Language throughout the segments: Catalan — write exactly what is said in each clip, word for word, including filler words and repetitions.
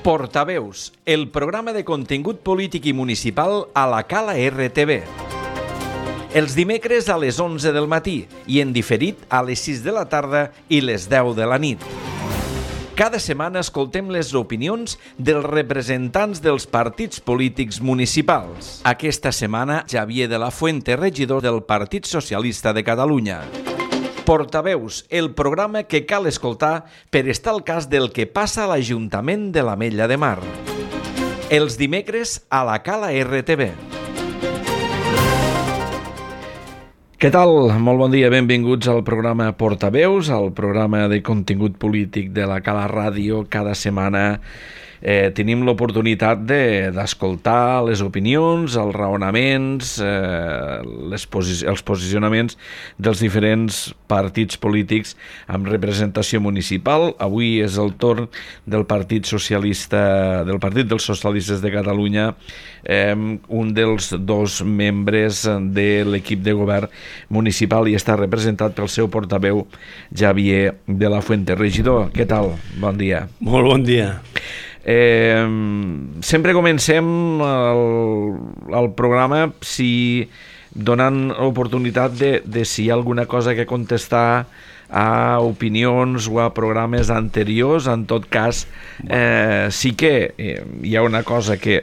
Portaveus, el programa de contingut polític i municipal a la Cala R T V. Els dimecres a les onze del matí i en diferit a les sis de la tarda i les deu de la nit. Cada setmana escoltem les opinions dels representants dels partits polítics municipals. Aquesta setmana, Xavier de la Fuente, regidor del Partit Socialista de Catalunya. Portaveus, el programa que cal escoltar per estar al cas del que passa a l'Ajuntament de l'Ametlla de Mar. Els dimecres a la Cala R T V. Què tal? Molt bon dia, benvinguts al programa Portaveus, al programa de contingut polític de la Cala Ràdio. Cada setmana eh, tenim l'oportunitat de, d'escoltar les opinions, els raonaments, eh, les posi- els posicionaments dels diferents partits polítics amb representació municipal. Avui és el torn del Partit Socialista, del Partit dels Socialistes de Catalunya, eh, un dels dos membres de l'equip de govern municipal i està representat pel seu portaveu, Xavier de la Fuente. Regidor, què tal? Bon dia. Molt bon dia. Eh, sempre comencem el, el programa si donant oportunitat de, de si hi ha alguna cosa que contestar a opinions o a programes anteriors. En tot cas, eh, sí que eh, hi ha una cosa que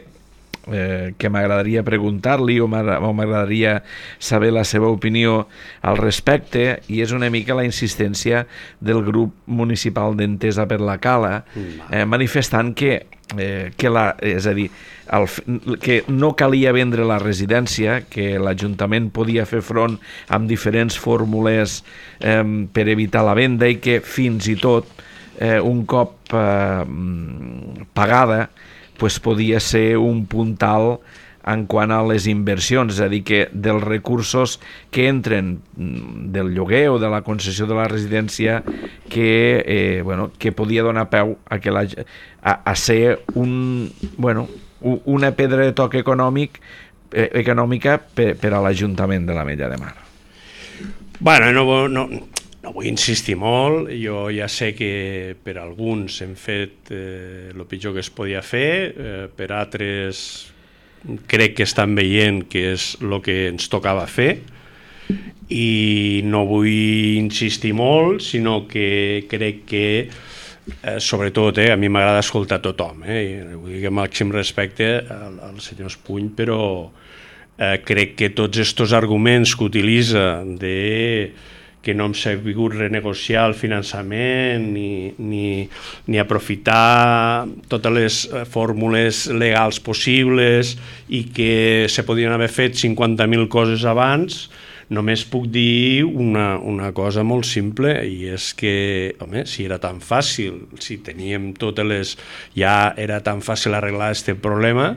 Eh, que m'agradaria preguntar-li o m'agradaria saber la seva opinió al respecte, i és una mica la insistència del grup municipal d'Entesa per la Cala, eh, manifestant que, eh, que la, és a dir, el, que no calia vendre la residència, que l'Ajuntament podia fer front amb diferents fórmules eh, per evitar la venda, i que fins i tot eh, un cop eh, pagada pues podia ser un puntal en quant a les inversions, és a dir, que dels recursos que entren del lloguer o de la concessió de la residència que, eh, bueno, que podia donar peu a, que la, a, a ser un, bueno, una pedra de toc econòmic, eh, econòmica per, per a l'Ajuntament de l'Ametlla de Mar. Bueno, no... no... No vull insistir molt, jo ja sé que per alguns hem fet eh, el pitjor que es podia fer, eh, per altres crec que estan veient que és el que ens tocava fer, i no vull insistir molt, sinó que crec que, eh, sobretot, eh, a mi m'agrada escoltar tothom, eh, vull dir que màxim respecte al, al senyor Espuny, però eh, crec que tots aquests arguments que utilitza de que no hem sabut renegociar el finançament ni, ni, ni aprofitar totes les fórmules legals possibles i que se podien haver fet cinquanta mil coses abans, només puc dir una, una cosa molt simple, i és que, home, si era tan fàcil, si teníem totes les... ja era tan fàcil arreglar aquest problema,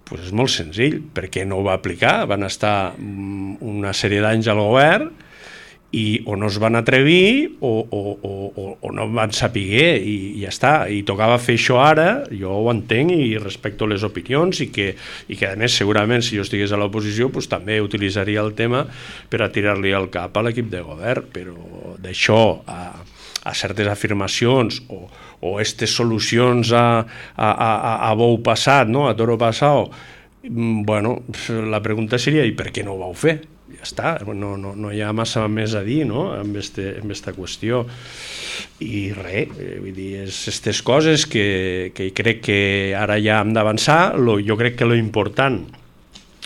doncs és molt senzill. Per què no ho va aplicar? Van estar una sèrie d'anys al govern i o no es van atrevir o, o, o, o no van saber, i ja està, i tocava fer això ara. Jo ho entenc i respecto les opinions, i que, i que a més segurament si jo estigués a l'oposició pues, també utilitzaria el tema per a tirar-li al cap a l'equip de govern, però d'això a, a certes afirmacions o, o aquestes solucions a, a, a, a bou passat, no? A toro passat, bueno, la pregunta seria i per què no ho vau fer? Ja està, no, no, no hi ha massa més a dir, no? amb aquesta qüestió, i res, vull dir, és aquestes coses que, que crec que ara ja hem d'avançar. Lo, jo crec que lo important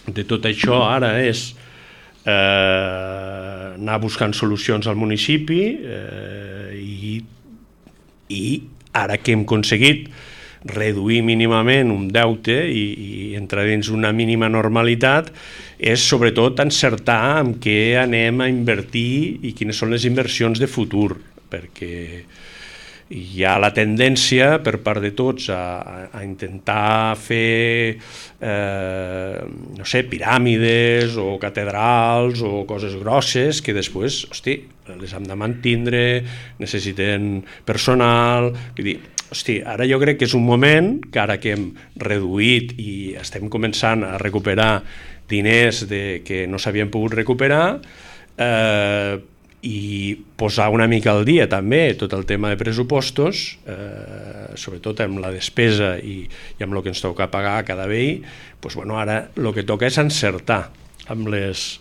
de tot això ara és eh, anar buscant solucions al municipi, eh, i, i ara que hem aconseguit reduir mínimament un deute i, i entrar dins una mínima normalitat, és sobretot encertar en què anem a invertir i quines són les inversions de futur, perquè hi ha la tendència per part de tots a, a intentar fer eh, no sé, piràmides o catedrals o coses grosses que després, hosti, les hem de mantindre, necessiten personal, vull dir, hosti, ara jo crec que és un moment que ara que hem reduït i estem començant a recuperar diners de, que no s'havien pogut recuperar, eh, i posar una mica al dia també tot el tema de pressupostos, eh, sobretot amb la despesa i, i amb el que ens toca pagar a cada veí, doncs, bueno, ara el que toca és encertar amb les,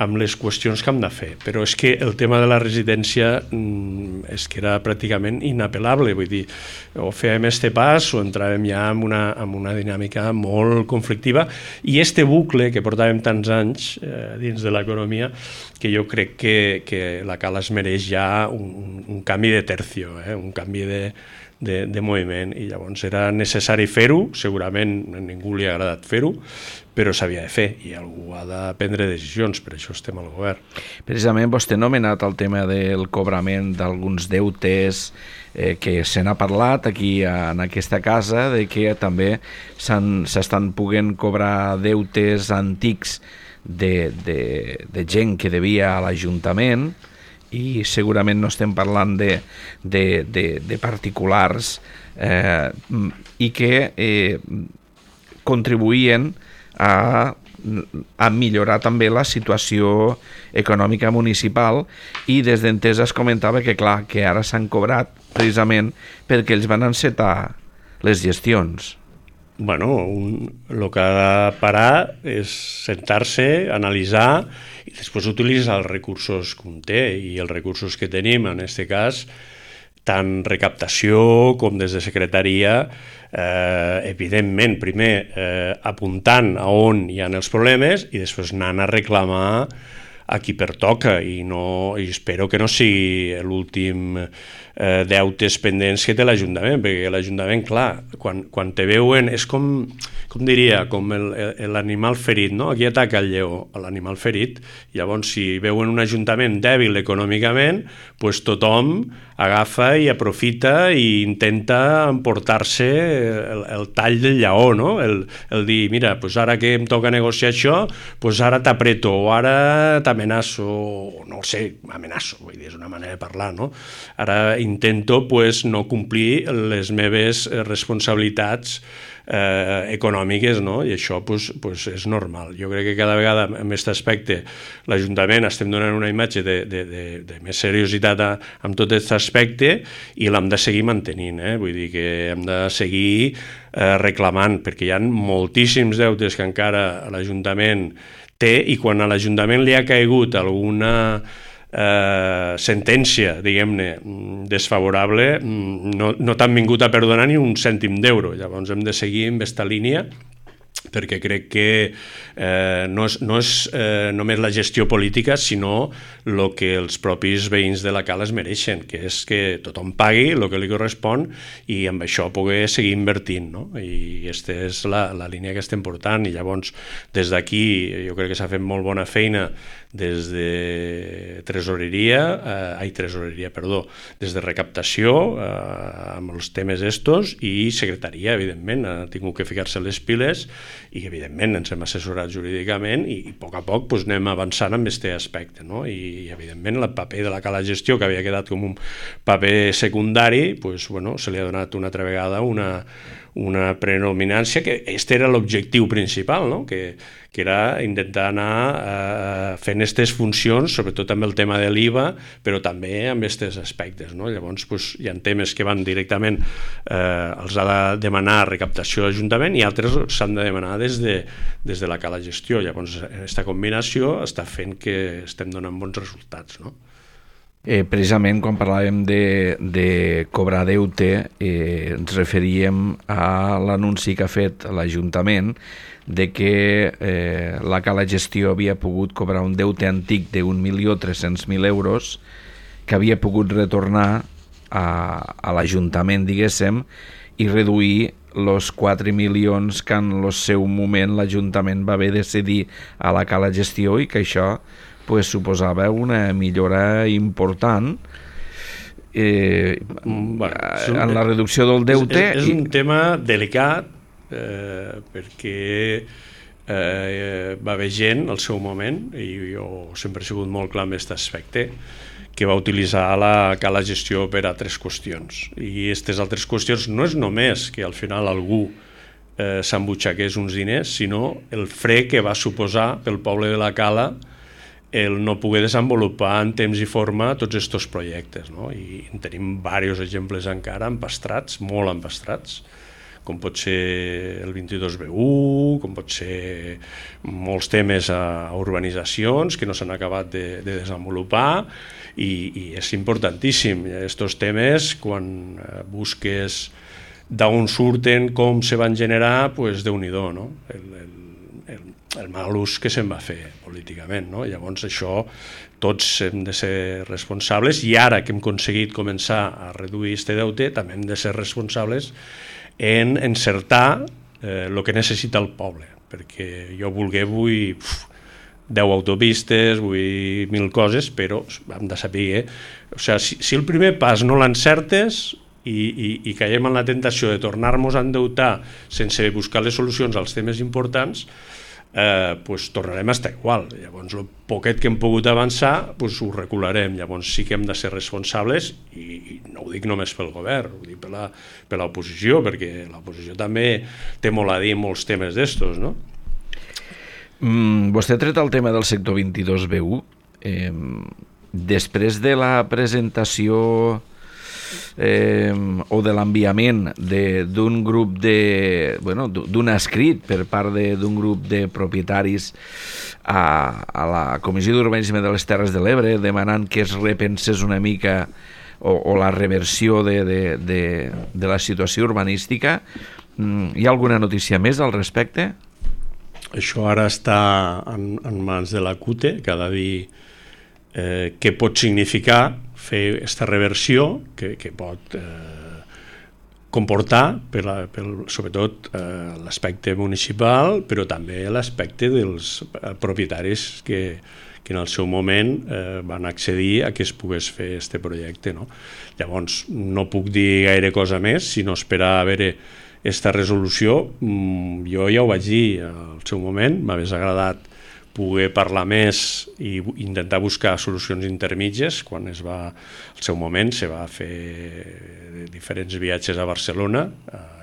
amb les qüestions que hem de fer. Però és que el tema de la residència mm, és que era pràcticament inapel·lable, vull dir, o fèiem este pas o entràvem ja en una, en una dinàmica molt conflictiva, i este bucle que portàvem tants anys eh, dins de l'economia, que jo crec que, que la Cala es mereix ja un, un canvi de tercio, eh? un canvi de, de, de moviment, i llavors era necessari fer-ho, segurament a ningú li ha agradat fer-ho, però s'havia de fer i algú ha de prendre decisions, per això estem al govern. Precisament vostè ha nomenat el tema del cobrament d'alguns deutes eh, que se n'ha parlat aquí en aquesta casa, de que també s'estan poguent cobrar deutes antics de, de, de gent que devia a l'Ajuntament, i segurament no estem parlant de, de, de, de particulars eh, i que eh, contribuïen a, a millorar també la situació econòmica municipal, i des d'Entesa es comentava que clar, que ara s'han cobrat precisament perquè ells van encetar les gestions. Bueno, un, el que ha de parar és sentar-se, analitzar i després utilitzar els recursos que un té, i els recursos que tenim, en aquest cas, tant recaptació com des de secretaria, eh, evidentment, primer eh, apuntant a on hi ha els problemes i després anant a reclamar a qui pertoca, i, no, i espero que no sigui l'últim eh, deutes pendents que té l'Ajuntament, perquè l'Ajuntament, clar, quan, quan te veuen, és com, com diria, com l'animal ferit, no? Aquí ataca el lleó, l'animal ferit, llavors si veuen un Ajuntament dèbil econòmicament, doncs tothom agafa i aprofita i intenta emportar-se el, el tall del lleó, no? El, el dir, mira, doncs ara que em toca negociar això, doncs ara t'apreto, o ara t'amenaço, no ho sé, amenaço, vull dir, és una manera de parlar, no? Ara intento pues, no complir les meves responsabilitats eh, econòmiques, no? I això pues, pues, és normal. Jo crec que cada vegada en aquest aspecte l'Ajuntament estem donant una imatge de, de, de, de més seriositat a, amb tot aquest aspecte, i l'hem de seguir mantenint, eh? Vull dir que hem de seguir eh, reclamant, perquè hi ha moltíssims deutes que encara l'Ajuntament té, i quan a l'Ajuntament li ha caigut alguna eh, sentència, diguem-ne, desfavorable, no, no t'han vingut a perdonar ni un cèntim d'euro. Llavors hem de seguir en aquesta línia, perquè crec que eh, no és, no és eh, només la gestió política, sinó el que els propis veïns de la Cala es mereixen, que és que tothom pagui el que li correspon i amb això poder seguir invertint, no? I aquesta és la, la línia que estem portant, i llavors des d'aquí jo crec que s'ha fet molt bona feina des de tresoreria, eh, ai, tresoreria, perdó, des de recaptació eh, amb els temes estos, i secretaria, evidentment, ha tingut que ficar-se les piles, i evidentment ens hem assessorat jurídicament, i, i a poc a poc pues, anem avançant amb aquest aspecte, no? I evidentment el paper de la Cala Gestió, que havia quedat com un paper secundari, pues, bueno, se li ha donat una altra vegada una, una predominància, que aquest era l'objectiu principal, no? que, que era intentar anar eh, fent aquestes funcions, sobretot amb el tema de l'I V A, però també amb aquests aspectes, no? Llavors pues, hi ha temes que van directament, eh, els ha de demanar recaptació de l'Ajuntament, i altres s'han de demanar des de, des de la Cala Gestió. Llavors aquesta combinació està fent que estem donant bons resultats, no? Eh, precisament quan parlàvem de, de cobrar deute eh, ens referíem a l'anunci que ha fet l'Ajuntament de que eh, la Cala Gestió havia pogut cobrar un deute antic d'un milió tres-cents mil euros que havia pogut retornar a, a l'Ajuntament, diguéssim, i reduir els quatre milions que en el seu moment l'Ajuntament va haver de cedir a la Cala Gestió, i que això pues, suposava una millora important eh, bueno, un, en la reducció del deute. És, és un i... tema delicat eh, perquè eh, va haver gent al seu moment, i jo sempre he sigut molt clar en aquest aspecte, que va utilitzar la Cala Gestió per a altres qüestions. I aquestes altres qüestions no és només que al final algú eh, s'embutxaqués uns diners, sinó el fre que va suposar pel poble de la Cala el no poder desenvolupar en temps i forma tots aquests projectes, no? I en tenim diversos exemples encara empastrats, molt empastrats, com pot ser el vint-i-dos B u, com pot ser molts temes a urbanitzacions que no s'han acabat de, de desenvolupar, i, i és importantíssim. Aquests temes, quan busques d'on surten, com se van generar, doncs Déu-n'hi-do, no? El, el, el, el mal ús que se'n va fer políticament, no? Llavors això tots hem de ser responsables, i ara que hem aconseguit començar a reduir aquest deute també hem de ser responsables en encertar el eh, que necessita el poble, perquè jo vulguer vull uf, deu autopistes, vull mil coses, però hem de saber, eh? O sigui, si, si el primer pas no l'encertes i, i, i caiem en la tentació de tornar-nos a endeutar sense buscar les solucions als temes importants, eh, pues tornarem a estar igual. Llavors el poquet que hem pogut avançar pues ho recularem. Llavors sí que hem de ser responsables, i, i no ho dic només pel govern, ho dic per la, per l'oposició, perquè l'oposició també té molt a dir molts temes d'estos, no? Mm, vostè ha tret el tema del sector vint-i-dos B u. Eh, després de la presentació eh, o de l'enviament d'un grup de... bueno, d'un escrit per part d'un grup de propietaris a, a la Comissió d'Urbanisme de les Terres de l'Ebre, demanant que es repensés una mica o, o la reversió de, de, de, de la situació urbanística, hi ha alguna notícia més al respecte? Això ara està en, en mans de la C U T E, que ha de dir eh, què pot significar fer aquesta reversió, que, que pot eh, comportar, per la, per, sobretot eh, l'aspecte municipal, però també l'aspecte dels propietaris que, que en el seu moment eh, van accedir a que es pogués fer aquest projecte, no? Llavors, no puc dir gaire cosa més, sinó esperar a veure aquesta resolució. Jo ja ho vaig dir al seu moment, m'hagués agradat poder parlar més i intentar buscar solucions intermitges. Quan es va, al seu moment, se va fer diferents viatges a Barcelona,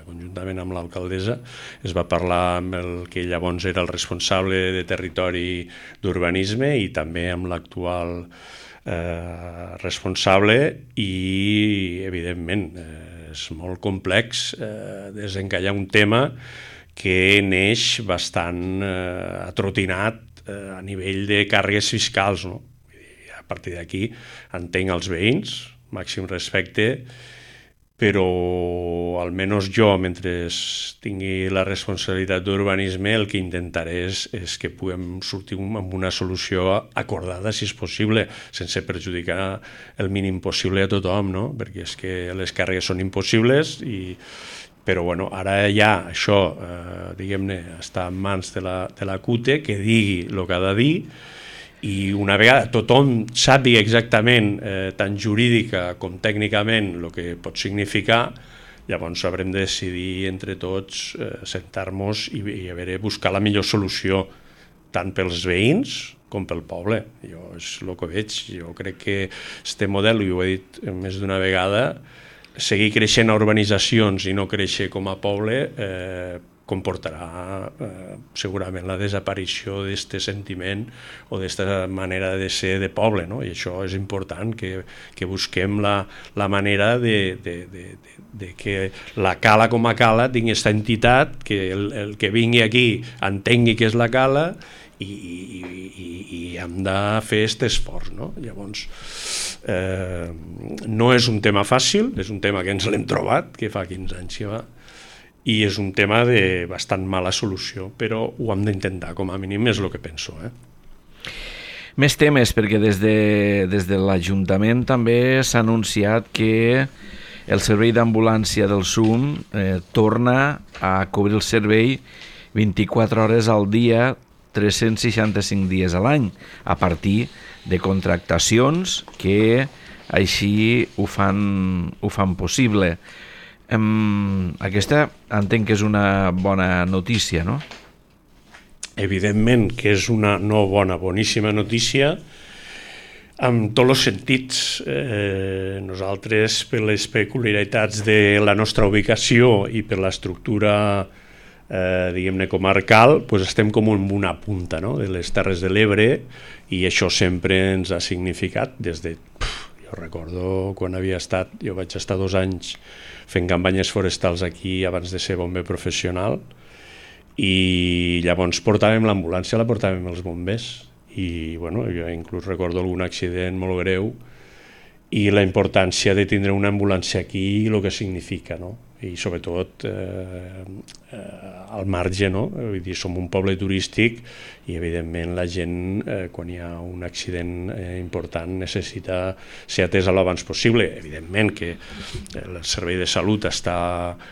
conjuntament amb l'alcaldessa, es va parlar amb el que llavors era el responsable de territori d'urbanisme i també amb l'actual eh, responsable, i evidentment eh, és molt complex eh, desencallar un tema que neix bastant eh, atrotinat eh, a nivell de càrregues fiscals, no? I a partir d'aquí entenc els veïns, màxim respecte, però almenys jo, mentre tingui la responsabilitat d'urbanisme, el que intentaré és, és que puguem sortir amb una solució acordada, si és possible, sense perjudicar el mínim possible a tothom, no? Perquè és que les càrregues són impossibles, i, però bueno, ara ja això, eh, diguem-ne, està en mans de la, de la C U T E, que digui el que ha de dir, i una vegada tothom sàpiga exactament, eh, tant jurídica com tècnicament, el que pot significar, llavors haurem de decidir entre tots, eh, sentar-nos i, i a veure, buscar la millor solució, tant pels veïns com pel poble. Jo és el que veig. Jo crec que este model, i ho he dit més d'una vegada, seguir creixent a urbanitzacions i no créixer com a poble, eh, comportarà eh, segurament la desaparició d'aquest sentiment o d'aquesta manera de ser de poble, no? I això és important, que, que busquem la, la manera de, de, de, de, de que la cala com a cala tingui aquesta entitat, que el, el que vingui aquí entengui què és la cala, i, i, i, i hem de fer aquest esforç, no? Llavors, eh, no és un tema fàcil, és un tema que ens l'hem trobat, que fa quinze anys que va, i és un tema de bastant mala solució, però ho hem d'intentar, com a mínim és el que penso. Eh? Més temes, perquè des de, des de l'Ajuntament també s'ha anunciat que el servei d'ambulància del S U M eh, torna a cobrir el servei vint-i-quatre hores al dia, tres-cents seixanta-cinc dies a l'any, a partir de contractacions que així ho fan, ho fan possible. Um, aquesta entenc que és una bona notícia, no? Evidentment que és una no bona, boníssima notícia, en tots els sentits. Eh, nosaltres, per les peculiaritats de la nostra ubicació i per l'estructura eh, diguem-ne, comarcal, doncs estem com en una punta, no?, de les Terres de l'Ebre, i això sempre ens ha significat des de... Pff, jo recordo quan havia estat, jo vaig estar dos anys fent campanyes forestals aquí abans de ser bomber professional, i llavors portàvem l'ambulància, la portàvem els bombers, i bueno, jo inclús recordo algun accident molt greu, i la importància de tindre una ambulància aquí, el que significa, no? I sobretot eh, eh, al marge, no? Vull dir, som un poble turístic i evidentment la gent eh, quan hi ha un accident eh, important necessita ser atesa l'abans possible. Evidentment que el servei de salut està,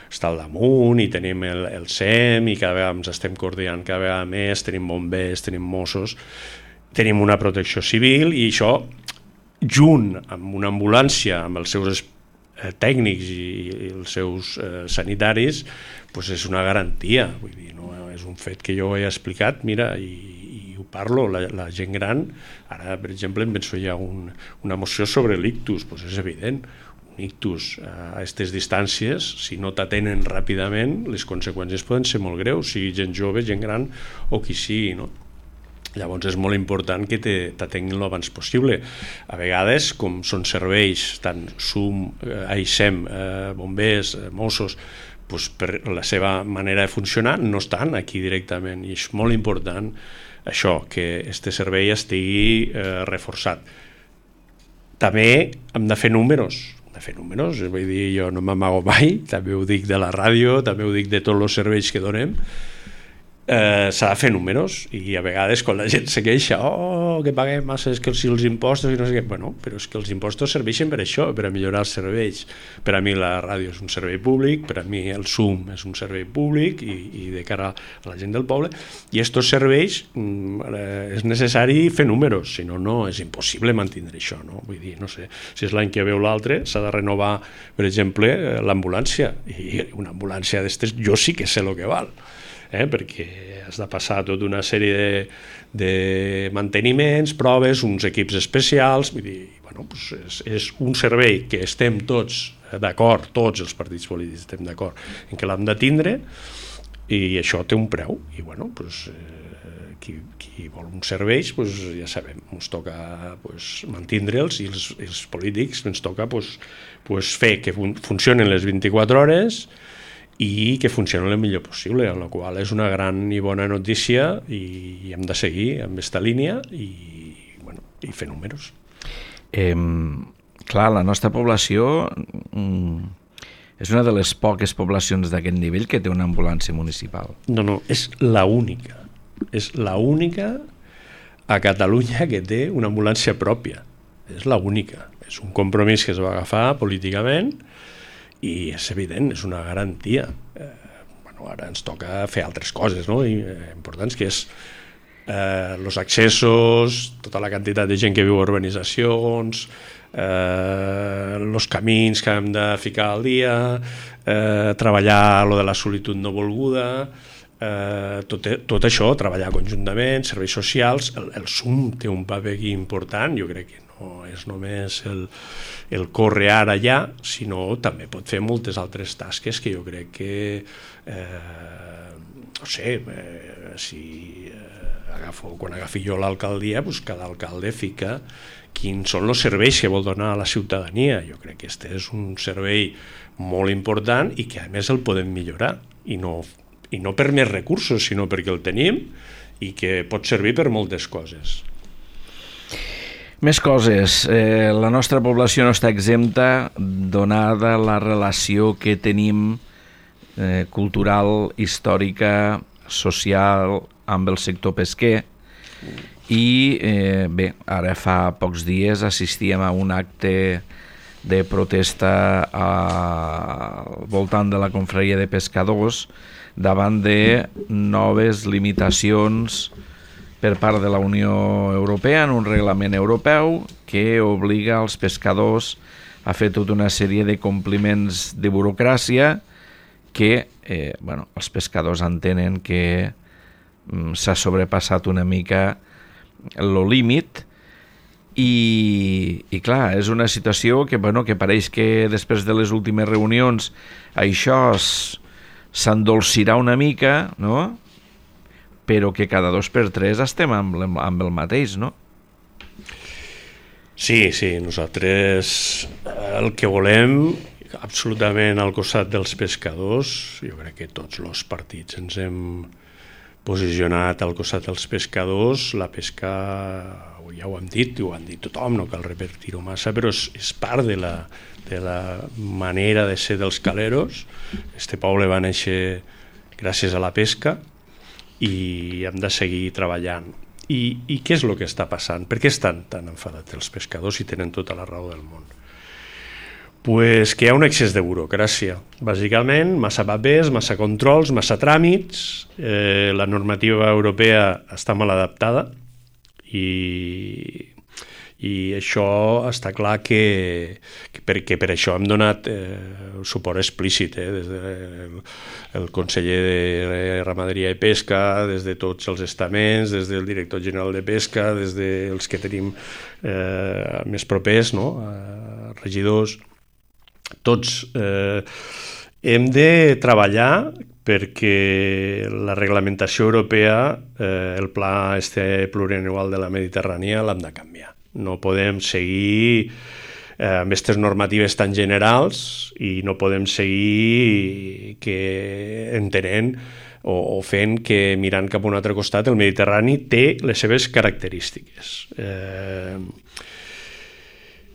està al damunt i tenim el, el S E M i cada vegada ens estem coordinant cada vegada més, tenim bombers, tenim Mossos, tenim una protecció civil, i això junt amb una ambulància, amb els seus eh, tècnics i, i els seus eh, sanitaris, pues és una garantia. Vull dir, no és un fet que jo he explicat, mira, i, i ho parlo, la, la gent gran, ara per exemple em penso hi ha un, una moció sobre l'ictus, pues és evident, un ictus a aquestes distàncies, si no t'atenen ràpidament, les conseqüències poden ser molt greus, sigui gent jove, gent gran o qui sigui, no? Llavors és molt important que t'atenguin l'abans possible. A vegades, com són serveis, tant S U M, eh, I S E M, eh, bombers, eh, Mossos, doncs per la seva manera de funcionar no estan aquí directament, i és molt important això, que este servei estigui eh, reforçat. També hem de fer números, hem de fer números, vull dir, jo no m'amago mai, també ho dic de la ràdio, també ho dic de tots els serveis que donem. Eh, s'ha de fer números, i a vegades quan la gent se queixa, oh, que paguem massa, és que si els impostos i no sé què, bueno, però és que els impostos serveixen per això, per a millorar els serveis. Per a mi la ràdio és un servei públic, per a mi el S U M és un servei públic i, i de cara a la gent del poble, i estos serveis eh, és necessari fer números, si no, no és impossible mantindre això, no? Vull dir, no sé, si és l'any que veu l'altre s'ha de renovar, per exemple, l'ambulància, i una ambulància d'estes jo sí que sé el que val. Eh, perquè has de passar tota una sèrie de, de manteniments, proves, uns equips especials, vull dir, bueno, doncs és, és un servei que estem tots d'acord, tots els partits polítics estem d'acord en què l'hem de tindre, i això té un preu, i bueno, doncs, eh, qui, qui vol uns serveis, doncs, ja sabem, ens toca doncs, mantindre'ls, i els, els polítics ens toca doncs, doncs, fer que fun funcionen les vint-i-quatre hores i que funcioni el millor possible, amb la qual és una gran i bona notícia, i hem de seguir amb aquesta línia i, bueno, i fer números. Eh, clar, la nostra població mm, és una de les poques poblacions d'aquest nivell que té una ambulància municipal. No, no, és la única. És la única a Catalunya que té una ambulància pròpia. És la única. És un compromís que es va agafar políticament, i és evident, és una garantia. Eh, bueno, ara ens toca fer altres coses, no? I, eh, importants, que és eh, els accessos, tota la quantitat de gent que viu a urbanitzacions, eh, els camins que hem de ficar al dia, eh, treballar lo de la solitud no volguda, eh, tot, tot això, treballar conjuntament, serveis socials. El, el S U M té un paper aquí important, jo crec que no és només el, el córrer ara allà, sinó també pot fer moltes altres tasques que jo crec que, eh, no sé, eh, si eh, agafo, quan agafi jo l'alcaldia, doncs cada alcalde fica quins són els serveis que vol donar a la ciutadania. Jo crec que este és un servei molt important i que a més el podem millorar, i no, i no per més recursos, sinó perquè el tenim i que pot servir per moltes coses. Més coses. Eh, la nostra població no està exempta, donada la relació que tenim eh, cultural, històrica, social, amb el sector pesquer. I eh, bé, ara fa pocs dies assistíem a un acte de protesta al voltant de la confraria de pescadors davant de noves limitacions per part de la Unió Europea en un reglament europeu que obliga els pescadors a fer tota una sèrie de compliments de burocràcia que eh, bueno, els pescadors entenen que mm, s'ha sobrepassat una mica el límit i, i clar, és una situació que, bueno, que pareix que després de les últimes reunions això es, s'endolcirà una mica, no? Però que cada dos per tres estem amb, amb el mateix, no? Sí, sí, nosaltres el que volem absolutament al costat dels pescadors, jo crec que tots els partits ens hem posicionat al costat dels pescadors. La pesca, ja ho hem dit, ho han dit tothom, no cal repetir-ho massa, però és, és part de la, de la manera de ser dels caleros. Este poble va néixer gràcies a la pesca i hem de seguir treballant. I, i què és el que està passant? Per què estan tan enfadats els pescadors i tenen tota la raó del món? Pues que hi ha un excés de burocràcia, bàsicament, massa papers, massa controls, massa tràmits, eh, la normativa europea està mal adaptada i, i això està clar que, que, per, que per això hem donat eh, suport explícit, eh, des del el conseller de Ramaderia i Pesca, des de tots els estaments, des del director general de Pesca, des dels que tenim eh, més propers, no? eh, regidors. Tots eh, hem de treballar perquè la reglamentació europea, eh, el pla este plurianual de la Mediterrània, l'hem de canviar. No podem seguir eh, amb aquestes normatives tan generals i no podem seguir que entenent o, o fent que mirant cap a un altre costat el Mediterrani té les seves característiques. Eh,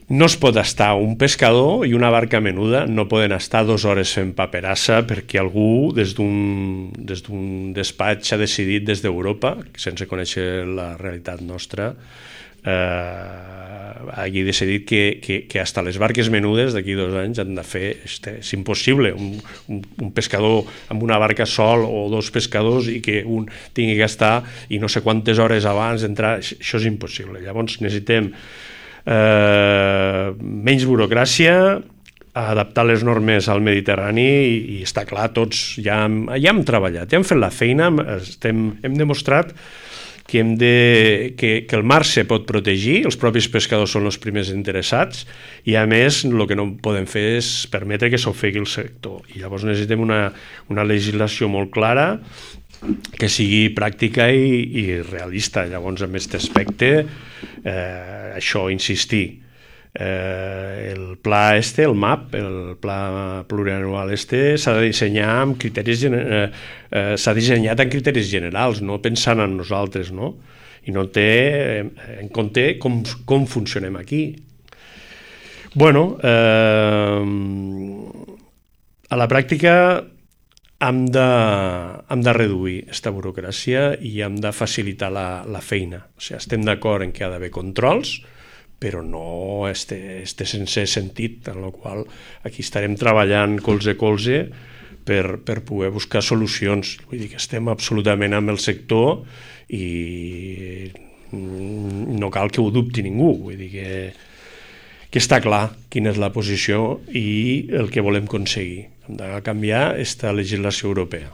No es pot estar un pescador i una barca menuda, no poden estar dues hores fent paperassa perquè algú des d'un des d'un despatx ha decidit des d'Europa, sense conèixer la realitat nostra, eh, hagi decidit que, que, que hasta les barques menudes d'aquí dos anys han de fer, este, és impossible, un, un, un pescador amb una barca sol o dos pescadors i que un tingui que estar i no sé quantes hores abans d'entrar, això és impossible. Llavors necessitem Eh, menys burocràcia, adaptar les normes al Mediterrani i, i està clar, tots ja hem, ja hem treballat, ja hem fet la feina, estem, hem demostrat que, hem de, que, que el mar se pot protegir, els propis pescadors són els primers interessats i a més el que no podem fer és permetre que s'ofegui el sector i llavors necessitem una, una legislació molt clara que sigui pràctica i, i realista. Llavors, en aquest aspecte, eh, això, insistir. Eh, el pla este, el M A P, el pla plurianual este, s'ha de dissenyar amb criteris, eh, eh, s'ha dissenyat en criteris generals, no pensant en nosaltres, no? I no té en compte com, com funcionem aquí. Bueno, eh, a la pràctica hem de, hem de reduir aquesta burocràcia i hem de facilitar la, la feina. O sigui, estem d'acord en que ha d'haver controls, però no este, este sense sentit, en el qual aquí estarem treballant colze a colze per, per poder buscar solucions. Vull dir que estem absolutament amb el sector i no cal que ho dubti ningú. Vull dir que, que està clar quina és la posició i el que volem aconseguir. Hem de canviar aquesta legislació europea.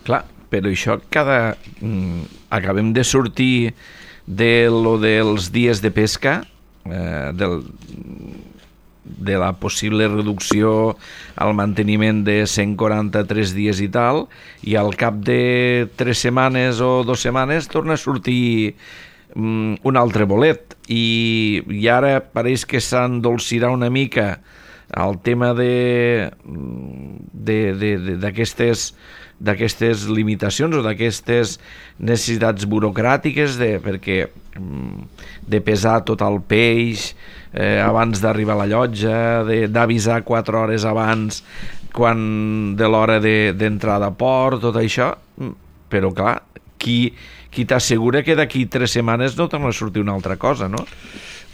Clar, però això cada... Mm, acabem de sortir de lo dels dies de pesca, eh, del, de la possible reducció al manteniment de cent quaranta-tres dies i tal, i al cap de tres setmanes o dues setmanes torna a sortir mm, un altre bolet. I, i ara pareix que s'endolcirà una mica el tema de d'aquestes d'aquestes limitacions o d'aquestes necessitats burocràtiques de, perquè de pesar tot el peix eh, abans d'arribar a la llotja, d'avisar quatre hores abans quan de l'hora d'entrada de, a port, tot això, però clar, qui, qui t'assegura que d'aquí tres setmanes no torna a sortir una altra cosa, no?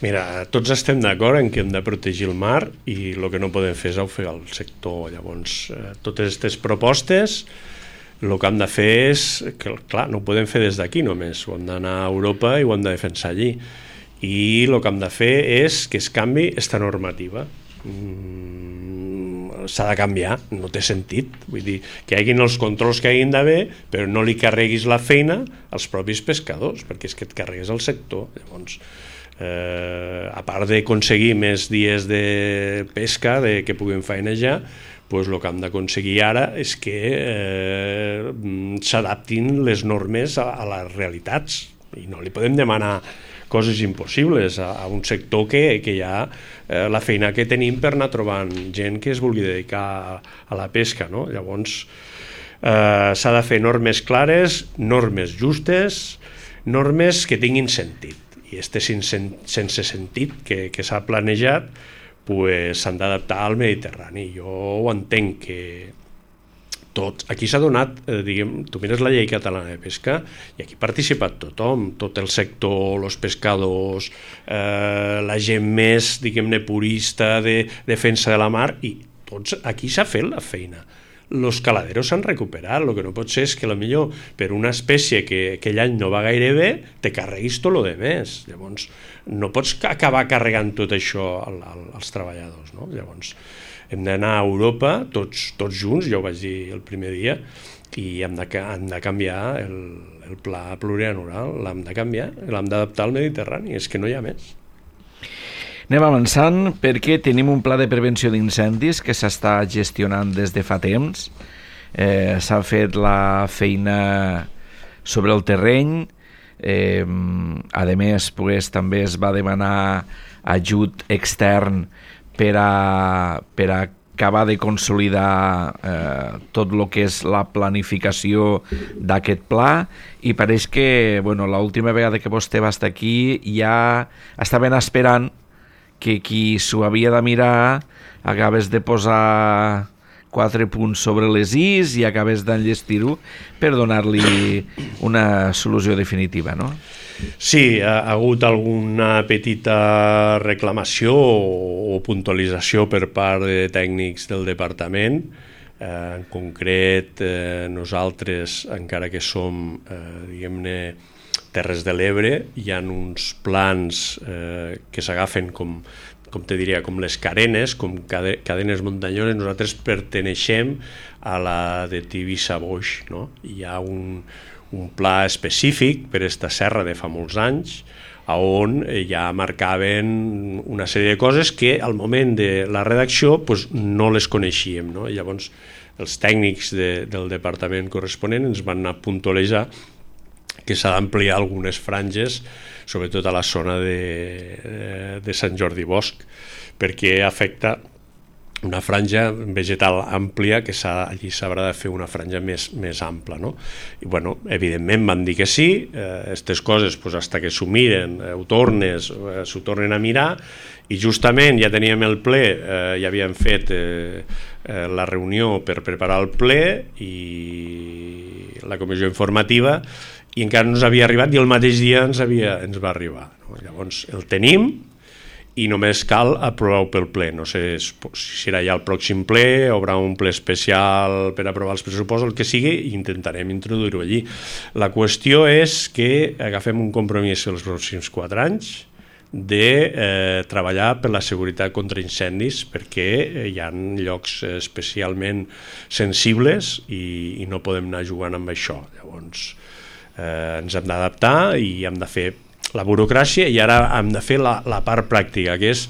Mira, tots estem d'acord en que hem de protegir el mar i el que no podem fer és ofegar el sector. Llavors, eh, totes aquestes propostes, el que hem de fer és, que clar, no ho podem fer des d'aquí només, ho hem d'anar a Europa i ho hem de defensar allí. I el que hem de fer és que es canvi aquesta normativa. Mm, s'ha de canviar, no té sentit. Vull dir, que hi hagin els controls que hagin d'haver, però no li carreguis la feina als propis pescadors, perquè és que et carregues el sector. Llavors, Eh, a part d'aconseguir més dies de pesca, de que puguem faenejar, pues el que hem d'aconseguir ara és que eh, s'adaptin les normes a, a les realitats, i no li podem demanar coses impossibles a, a un sector que, que hi ha eh, la feina que tenim per anar trobant gent que es vulgui dedicar a, a la pesca, no? Llavors eh, s'ha de fer normes clares, normes justes, normes que tinguin sentit, i este sense, sense sentit que, que s'ha planejat pues, s'han d'adaptar al Mediterrani. Jo ho entenc que tots, aquí s'ha donat, eh, diguem, tu mires la llei catalana de pesca i aquí ha participat tothom, tot el sector, els pescadors, eh, la gent més, diguem-ne, purista de defensa de la mar, i tots, aquí s'ha fet la feina. Els caladeros s'han recuperat, el que no pot ser és que potser per una espècie que aquell any no va gaire bé te carreguis tot el de més. Llavors no pots acabar carregant tot això al, al, als treballadors, no? Llavors hem d'anar a Europa tots, tots junts, jo ho vaig dir el primer dia, i hem de, hem de canviar el, el pla plurianual, l'hem de canviar, l'hem d'adaptar al Mediterrani, és que no hi ha més. Anem avançant perquè tenim un pla de prevenció d'incendis que s'està gestionant des de fa temps. Eh, s'ha fet la feina sobre el terreny. Eh, a més, pues, també es va demanar ajut extern per a, per a acabar de consolidar eh, tot el que és la planificació d'aquest pla, i pareix que bueno, l'última vegada que vostè va estar aquí ja estaven esperant que qui s'ho havia de mirar acabes de posar quatre punts sobre les is i acabes d'enllestir-ho per donar-li una solució definitiva, no? Sí, ha hagut alguna petita reclamació o puntualització per part de tècnics del departament. Eh, en concret, eh, nosaltres, encara que som, eh, diguem-ne, Terres de l'Ebre, hi ha uns plans eh, que s'agafen com, com te diria, com les carenes, com cade, cadenes muntanyoses. Nosaltres perteneixem a la de Tivissa-Boix, no? Hi ha un, un pla específic per aquesta serra de fa molts anys, on ja marcaven una sèrie de coses que al moment de la redacció pues, no les coneixíem, no? Llavors els tècnics de, del departament corresponent ens van anar a puntualitzar que s'ha d'ampliar algunes franges, sobretot a la zona de, de Sant Jordi Bosc, perquè afecta una franja vegetal àmplia que allí s'haurà de fer una franja més, més ampla, no? I, bueno, evidentment van dir que sí, aquestes eh, coses, pues, hasta que s'ho miren, eh, ho tornes, eh, s'ho tornen a mirar, i justament ja teníem el ple, eh, ja havíem fet eh, eh, la reunió per preparar el ple i la comissió informativa, i encara no ens havia arribat i el mateix dia ens, havia, ens va arribar, no? Llavors el tenim i només cal aprovar-ho pel ple. No sé si serà ja el pròxim ple, o haurà un ple especial per aprovar els pressupostos, el que sigui, i intentarem introduir-ho allí. La qüestió és que agafem un compromís els pròxims quatre anys de eh, treballar per la seguretat contra incendis, perquè hi ha llocs especialment sensibles i, i no podem anar jugant amb això. Llavors eh, ens hem d'adaptar i hem de fer la burocràcia, i ara hem de fer la, la part pràctica, que és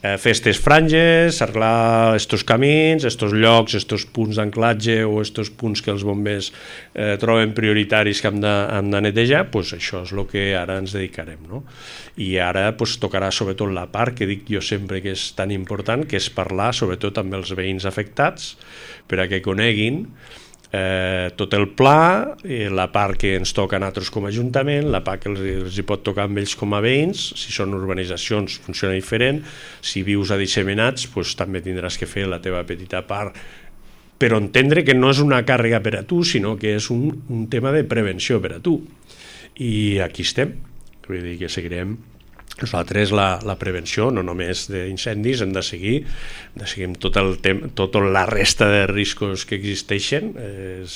eh, fer aquestes franges, arreglar estos camins, estos llocs, estos punts d'anclatge o estos punts que els bombers eh, troben prioritaris que hem de, hem de netejar, pues això és el que ara ens dedicarem, no? I ara pues, tocarà sobretot la part que dic jo sempre que és tan important, que és parlar sobretot amb els veïns afectats, per a que coneguin Eh, tot el pla, eh, la part que ens toca a nosaltres com a Ajuntament, la part que els, els hi pot tocar amb ells com a veïns. Si són urbanitzacions funciona diferent, si vius a disseminats pues, també tindràs que fer la teva petita part, però entendre que no és una càrrega per a tu, sinó que és un, un tema de prevenció per a tu, i aquí estem. Vull dir que seguirem. Nosaltres la, la prevenció, no només d'incendis, hem de seguir, hem de seguir tot el tema, tota la resta de riscos que existeixen. És,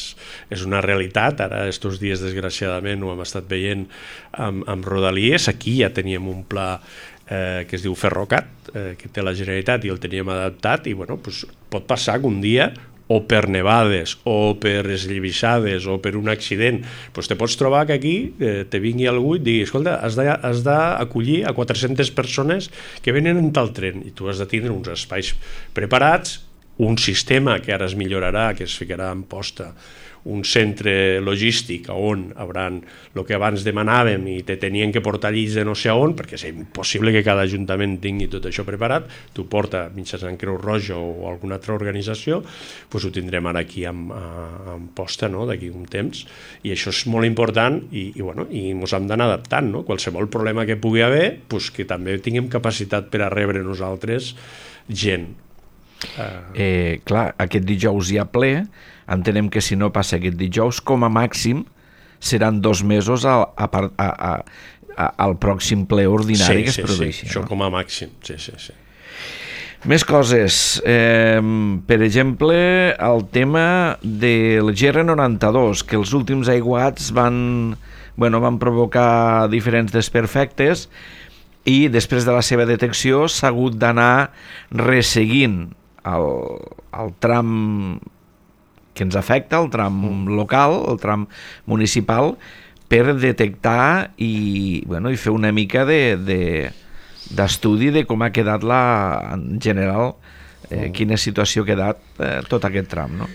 és una realitat. Ara, estos dies, desgraciadament, ho hem estat veient amb, amb Rodalies. Aquí ja teníem un pla eh, que es diu Ferrocat, eh, que té la Generalitat, i el teníem adaptat, i bueno, pues, pot passar que un dia o per nevades, o per esllavissades, o per un accident, doncs te pots trobar que aquí eh, te vingui algú i et digui, escolta, has d'acollir a quatre-centes persones que venen en tal tren, i tu has de tindre uns espais preparats, un sistema que ara es millorarà, que es ficarà en posta, un centre logístic on hauran el que abans demanàvem i te tenien que portar llits de no sé on, perquè és impossible que cada ajuntament tingui tot això preparat, t'ho porta mitjançant Creu Roja o alguna altra organització, doncs ho tindrem ara aquí en, en posta, no?, d'aquí un temps, i això és molt important i, i, bueno, i ens hem d'anar adaptant, no? Qualsevol problema que pugui haver, doncs que també tinguem capacitat per a rebre nosaltres gent. Eh, clar, aquest dijous hi ha ple, entenem que si no passa aquest dijous, com a màxim seran dos mesos a, a, a, a, a, al pròxim ple ordinari sí, que es sí, produeixi. Sí, això no? Com a màxim, sí, sí, sí. Més coses, eh, per exemple, el tema del G R noranta-dos, que els últims aiguats van, bueno, van provocar diferents desperfectes i després de la seva detecció s'ha hagut d'anar resseguint el, el tram que ens afecta, el tram local, el tram municipal, per detectar i, bueno, i fer una mica de, de, d'estudi de com ha quedat la, en general, eh, quina situació ha quedat eh, tot aquest tram, no?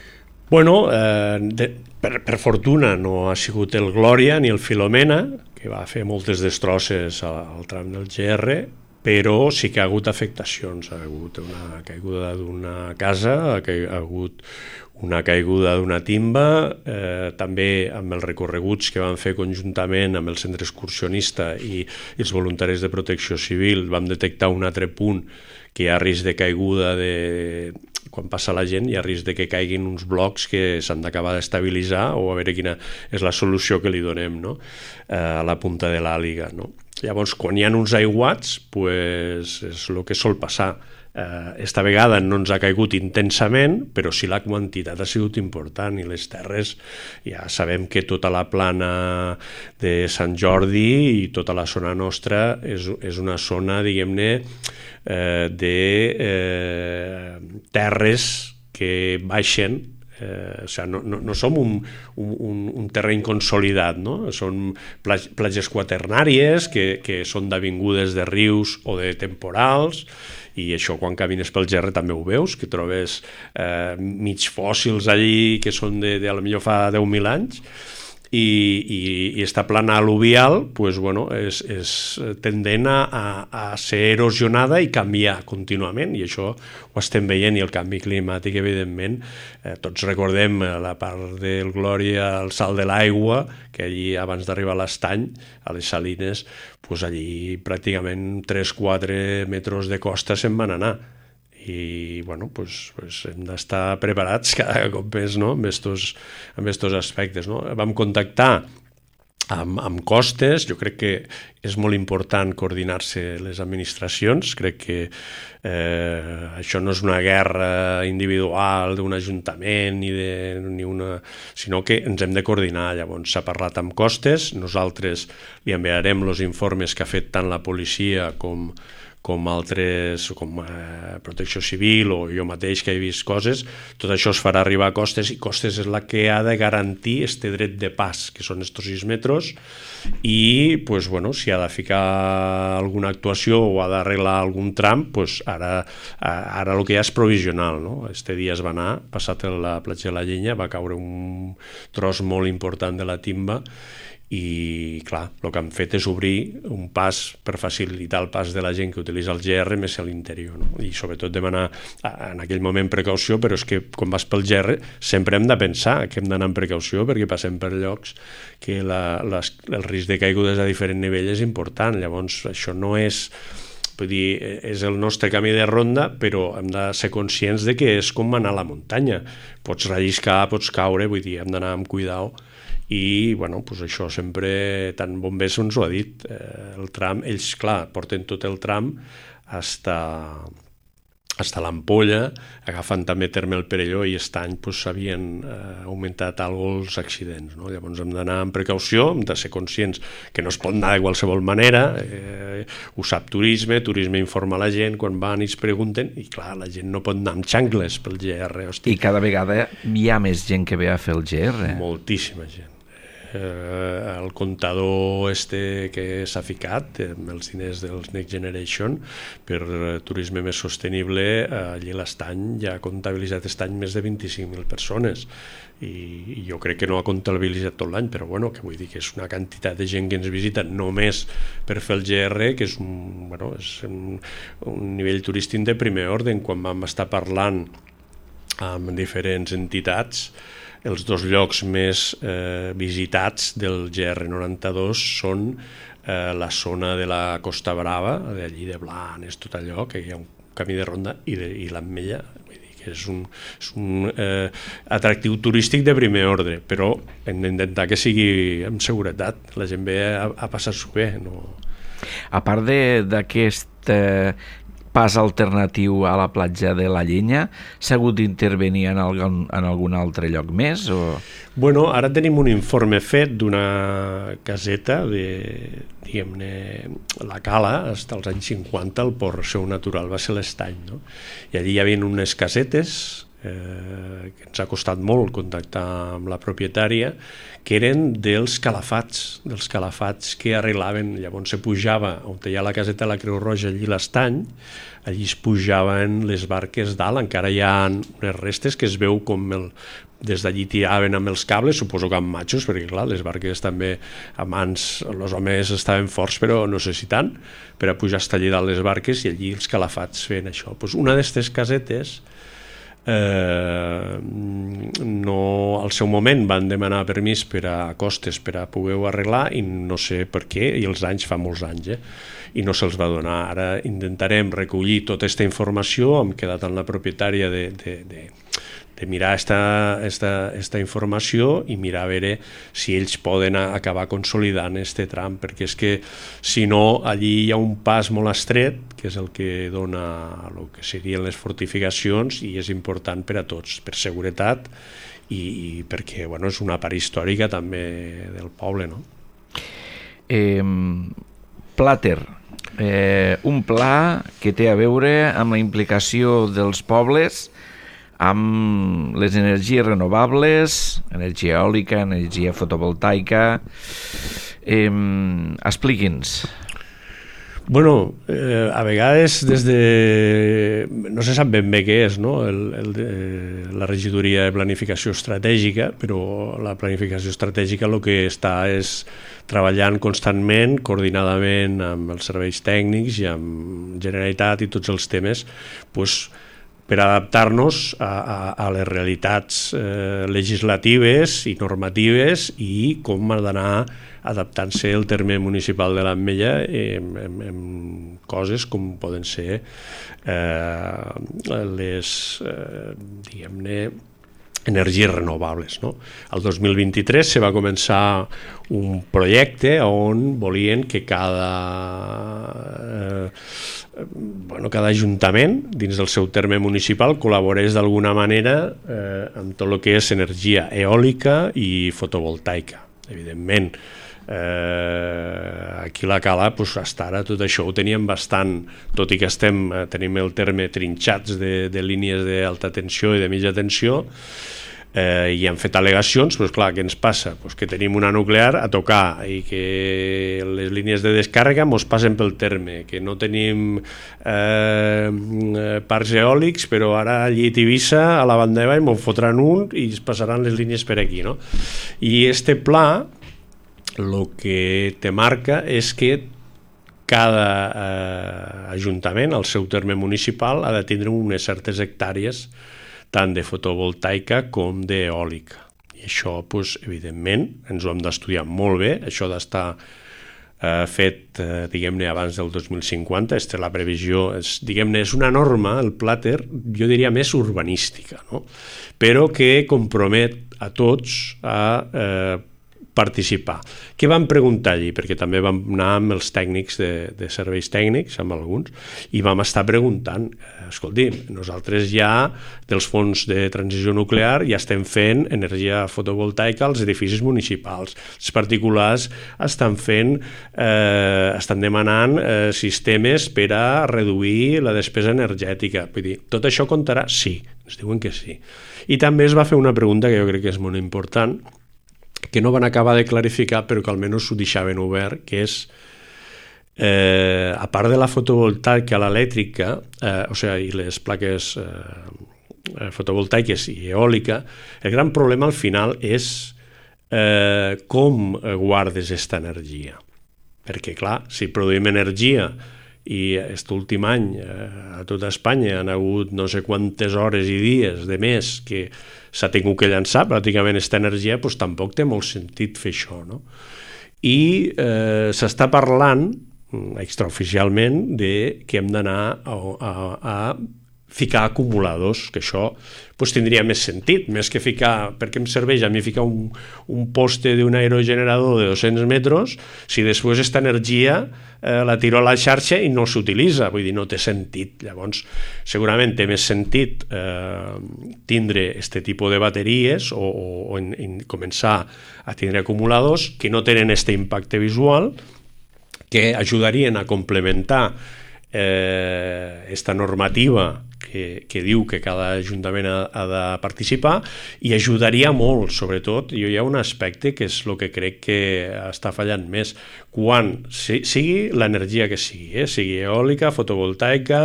Bueno, eh, de, per, per fortuna no ha sigut el Glòria ni el Filomena, que va fer moltes destrosses al, al tram del G R, però sí que ha hagut afectacions. Ha hagut una caiguda d'una casa, ha hagut una caiguda d'una timba, eh, també amb els recorreguts que vam fer conjuntament amb el centre excursionista i, i els voluntaris de protecció civil, vam detectar un altre punt que hi ha risc de caiguda de... quan passa la gent hi ha risc de que caiguin uns blocs que s'han d'acabar d'estabilitzar o a veure quina és la solució que li donem, no?, a la punta de l'àliga, no? Llavors, quan hi ha uns aiguats, pues, és el que sol passar. Eh, esta vegada no ens ha caigut intensament, però sí la quantitat ha sigut important i les terres, ja sabem que tota la plana de Sant Jordi i tota la zona nostra és, és una zona, diguem-ne, eh, de eh, terres que baixen. Eh, o sigui, no, no, no som un, un, un terreny consolidat, no? Són platges quaternàries que, que són d'avingudes de rius o de temporals, i això quan camines pel G R també ho veus, que trobes eh, mig fòssils allí que són de, de, a lo millor fa deu mil anys, i, i, i esta plana al·luvial pues, bueno, és, és tendent a, a ser erosionada i canviar contínuament, i això ho estem veient, i el canvi climàtic, evidentment, eh, tots recordem la part del Glòria, el salt de l'aigua, que allí abans d'arribar a l'estany, a les salines, pues allí pràcticament tres quatre metres de costa se'n van anar. I bueno, pues, pues hem d'estar preparats cada cop més, no?, amb estos, amb estos aspectes, no? Vam contactar amb, amb costes, jo crec que és molt important coordinar-se les administracions, crec que eh, això no és una guerra individual d'un ajuntament ni de, ni una, sinó que ens hem de coordinar. Llavors s'ha parlat amb costes, nosaltres li enviarem els informes que ha fet tant la policia com com altres, com eh, Protecció Civil o jo mateix que he vist coses, tot això es farà arribar a Costes, i Costes és la que ha de garantir este dret de pas, que són estos sis metres, i pues, bueno, si ha de ficar alguna actuació o ha d'arreglar algun tram, pues, ara, ara el que hi ha és provisional, no? Este dia es va anar, passat la platja de la Llenya, va caure un tros molt important de la timba, i clar, el que han fet és obrir un pas per facilitar el pas de la gent que utilitza el G R més a l'interior, no? I sobretot demanar en aquell moment precaució, però és que quan vas pel G R sempre hem de pensar que hem d'anar amb precaució perquè passem per llocs que la, les, el risc de caigudes a diferent nivell és important. Llavors això no és, vull dir, és el nostre camí de ronda, però hem de ser conscients de que és com anar a la muntanya, pots relliscar, pots caure, vull dir, hem d'anar amb cuidao. I bueno, pues això sempre, tant Bombers ens ho ha dit, eh, el tram, ells clar, porten tot el tram hasta, hasta l'Ampolla, agafant també terme el Perelló i Estany, doncs s'havien eh, augmentat alguns els accidents, no? Llavors hem d'anar amb precaució, hem de ser conscients que no es pot anar de qualsevol manera, eh, ho sap turisme, turisme informa la gent, quan van i es pregunten, i clar, la gent no pot anar amb xancles pel G R. Hosti. I cada vegada hi ha més gent que ve a fer el G R. Moltíssima gent. Eh, el comptador este que s'ha ficat amb els diners dels Next Generation per eh, turisme més sostenible, eh, allí a l'Estany ja ha comptabilitzat aquest any més de vint-i-cinc mil persones i, i jo crec que no ha comptabilitzat tot l'any, però bueno, que vull dir que és una quantitat de gent que ens visita només per fer el G R, que és un, bueno, és un, un nivell turístic de primer ordre. Quan vam estar parlant amb diferents entitats, els dos llocs més eh, visitats del G R noranta-dos són eh, la zona de la Costa Brava, d'allí de Blanes, tot allò, que hi ha un camí de ronda, i, de, i l'Ametlla, vull dir que és un, és un eh, atractiu turístic de primer ordre, però hem d'intentar que sigui amb seguretat, la gent ve a, a passar-s'ho bé. No? A part d'aquest eh, pas alternatiu a la platja de la Llenya, s'ha hagut d'intervenir en, algun, en algun altre lloc més? O... Bueno, ara tenim un informe fet d'una caseta de, diguem-ne, la Cala, fins als anys cinquanta, el port seu natural va ser l'Estany, no? I allí hi havia unes casetes eh, que ens ha costat molt contactar amb la propietària, que eren dels calafats, dels calafats que arreglaven. Llavors se pujava, on hi ha la caseta de la Creu Roja, allí l'Estany, allí es pujaven les barques dalt, encara hi ha unes restes que es veu com el, des d'allí tiraven amb els cables, suposo que amb matxos, perquè clar, les barques també a mans, els homes estaven forts, però no sé si tant, per a pujar fins allí dalt les barques, i allí els calafats feien això. Pues una d'aquestes casetes, Eh, no, al seu moment van demanar permís per a costes per a poder-ho arreglar i no sé per què, i els anys fa molts anys, eh? I no se'ls va donar. Ara intentarem recollir tota aquesta informació, hem quedat amb la propietària de, de, de, de mirar esta, esta, esta informació i mirar a veure si ells poden acabar consolidant este tram, perquè és que si no, allí hi ha un pas molt estret, que és el que dona el que serien les fortificacions, i és important per a tots, per seguretat i, i perquè bueno, és una part històrica també del poble, no? Eh, Plater, eh, un pla que té a veure amb la implicació dels pobles amb les energies renovables, energia eòlica, energia fotovoltaica. Eh, expliqui'ns. Bueno, eh, a vegades des de... no se sap ben bé què és, no? el, el, eh, la regidoria de planificació estratègica, però la planificació estratègica el que està és treballant constantment, coordinadament amb els serveis tècnics i amb Generalitat i tots els temes, pues, per adaptar-nos a, a, a les realitats eh, legislatives i normatives i com ha d'anar adaptant-se el terme municipal de l'Ametlla en, en, en coses com poden ser eh, les, eh, diguem-ne, energies renovables, no? El dos mil vint-i-tres se va començar un projecte on volien que cada, eh, bueno, cada ajuntament dins del seu terme municipal col·laborés d'alguna manera eh, amb tot el que és energia eòlica i fotovoltaica. Evidentment, eh, aquí a la Cala, pues, fins ara tot això ho teníem bastant, tot i que estem, eh, tenim el terme trinxats de, de línies d'alta tensió i de mitja tensió, eh, i han fet al·legacions, però clar, què ens passa? Pues que tenim una nuclear a tocar i que les línies de descàrrega mos passen pel terme, que no tenim eh, parcs eòlics, però ara allí a Tivissa, a la Bandeva, mos fotran un i es passaran les línies per aquí, no? I este pla el que te marca és que cada eh, ajuntament, al seu terme municipal, ha de tindre unes certes hectàrees tant de fotovoltaica com d'eòlica. I això, doncs, evidentment, ens ho hem d'estudiar molt bé, això d'estar eh, fet, eh, diguem-ne, abans del dos mil cinquanta, és la previsió, és, diguem-ne, és una norma, el Plater, jo diria més urbanística, no? Però que compromet a tots a eh, participar. Què vam preguntar allí? Perquè també vam anar amb els tècnics de, de serveis tècnics, amb alguns, i vam estar preguntant, escolti, nosaltres ja dels fons de transició nuclear ja estem fent energia fotovoltaica als edificis municipals. Els particulars estan fent, eh, estan demanant eh, sistemes per a reduir la despesa energètica. Vull dir, tot això comptarà? Sí, ens diuen que sí. I també es va fer una pregunta que jo crec que és molt important, que no van acabar de clarificar, però que almenys ho deixaven obert, que és, eh, a part de la fotovoltaica, l'elèctrica, eh, o sigui, i les plaques eh, fotovoltaiques i eòlica, el gran problema al final és eh, com guardes aquesta energia. Perquè, clar, si produïm energia i aquest últim any a tota Espanya han hagut no sé quantes hores i dies de més que s'ha tingut que llançar pràcticament aquesta energia, doncs tampoc té molt sentit fer això, no? I eh, s'està parlant extraoficialment de que hem d'anar a, a, a ficar acumuladors, que això pues, tindria més sentit, més que ficar, perquè em serveix a mi ficar un, un poste d'un aerogenerador de dos-cents metres, si després aquesta energia eh, la tiro a la xarxa i no s'utilitza, vull dir, no té sentit. Llavors, segurament té més sentit eh, tindre aquest tipus de bateries o, o, o en, en començar a tindre acumuladors que no tenen aquest impacte visual, que ajudarien a complementar eh, esta normativa que, que diu que cada ajuntament ha, ha de participar, i ajudaria molt, sobretot, i hi ha un aspecte que és el que crec que està fallant més, quan si, sigui l'energia que sigui, eh, sigui eòlica, fotovoltaica,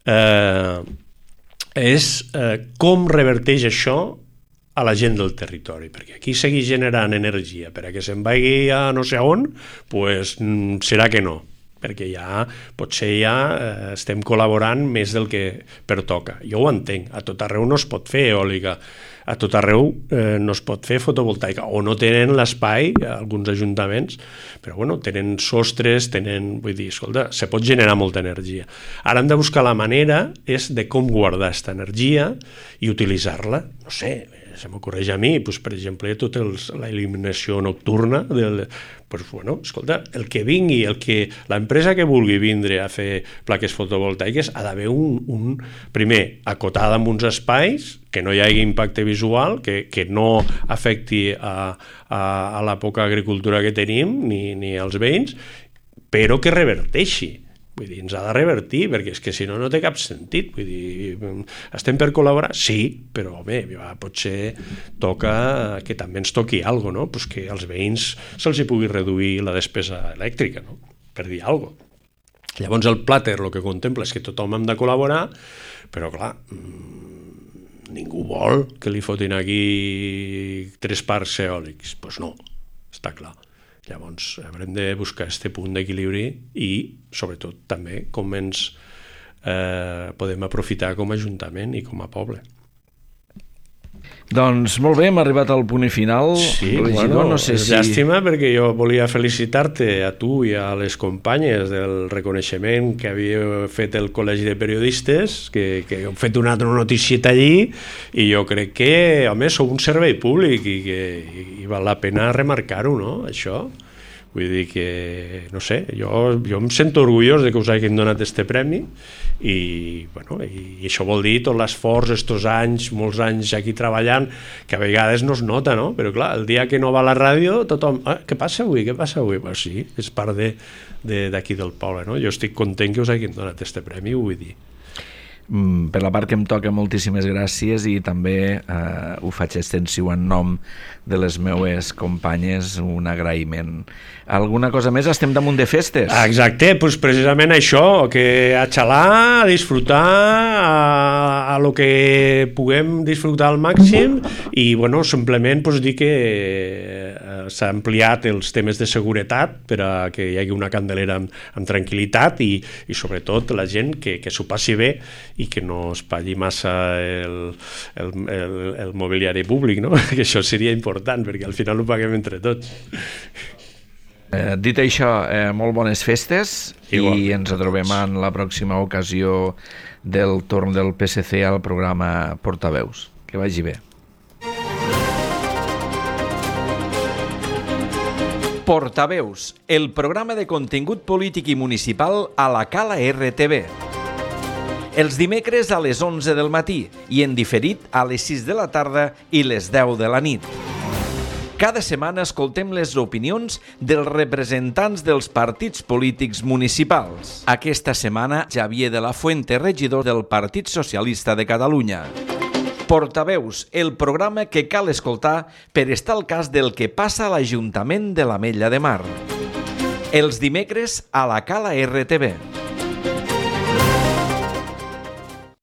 eh, és eh, com reverteix això a la gent del territori, perquè aquí seguir generant energia per a que se'n vagi a no sé on, pues, serà que no, perquè ja potser ja eh, estem col·laborant més del que pertoca. Jo ho entenc, a tot arreu no es pot fer eòlica, a tot arreu eh, no es pot fer fotovoltaica, o no tenen l'espai, alguns ajuntaments, però bueno, tenen sostres, tenen, vull dir, escolta, se pot generar molta energia. Ara hem de buscar la manera és de com guardar aquesta energia i utilitzar-la, no sé, se m'ocorreix a mi, doncs, per exemple, tota l'il·luminació nocturna, del, doncs, bueno, escolta, el que vingui, el que, l'empresa que vulgui vindre a fer plaques fotovoltaiques ha d'haver un, un, primer, acotada amb uns espais, que no hi hagi impacte visual, que, que no afecti a, a, a la poca agricultura que tenim, ni, ni als veïns, però que reverteixi. Vull dir, ens ha de revertir, perquè és que si no, no té cap sentit. Vull dir, estem per col·laborar? Sí, però bé, potser toca que també ens toqui alguna cosa, no? Pues que als veïns se'ls hi pugui reduir la despesa elèctrica, no? Per dir alguna cosa. Llavors el Plater el que contempla és que tothom hem de col·laborar, però clar, ningú vol que li fotin aquí tres parcs eòlics. Doncs pues no, està clar. Llavors haurem de buscar aquest punt d'equilibri i, sobretot, també com ens eh, podem aprofitar com a ajuntament i com a poble. Doncs molt bé, hem arribat al punt final. Sí, bueno, no sé és si... llàstima, perquè jo volia felicitar-te a tu i a les companyes del reconeixement que havia fet el Col·legi de Periodistes, que, que heu fet una altra noticieta allí, i jo crec que, home, sou un servei públic i que i val la pena remarcar-ho, no?, això. Vull dir que, no sé, jo, jo em sento orgullós de que us hagin donat este premi i, bueno, i, i això vol dir tot l'esforç, estos anys, molts anys aquí treballant, que a vegades no es nota, no? Però clar, el dia que no va a la ràdio, tothom, ah, què passa avui, què passa avui? Pues sí, és part de, de, d'aquí del poble, no? Jo estic content que us hagin donat este premi, ho vull dir. Per la part que em toca, moltíssimes gràcies, i també eh, ho faig extensiu en nom de les meues companyes, un agraïment. Alguna cosa més? Estem damunt de festes. Exacte, doncs precisament això, que a xalar, a disfrutar, a, a lo que puguem disfrutar al màxim, i bueno, simplement doncs, dir que eh, s'ha ampliat els temes de seguretat per a que hi hagi una candelera amb, amb tranquil·litat i, i sobretot la gent que, que s'ho passi bé i que no es pagui massa el, el, el, el mobiliari públic, no? Que això seria important, perquè al final ho paguem entre tots. Eh, dit això, eh, molt bones festes. Igualment, i ens trobem en la pròxima ocasió del torn del P S C al programa Portaveus. Que vagi bé. Portaveus, el programa de contingut polític i municipal a la Cala R T V. Els dimecres a les onze del matí i en diferit a les sis de la tarda i les deu de la nit. Cada setmana escoltem les opinions dels representants dels partits polítics municipals. Aquesta setmana, Xavier de la Fuente, regidor del Partit Socialista de Catalunya. Portaveus, el programa que cal escoltar per estar al cas del que passa a l'Ajuntament de l'Ametlla de Mar. Els dimecres a la Cala R T V.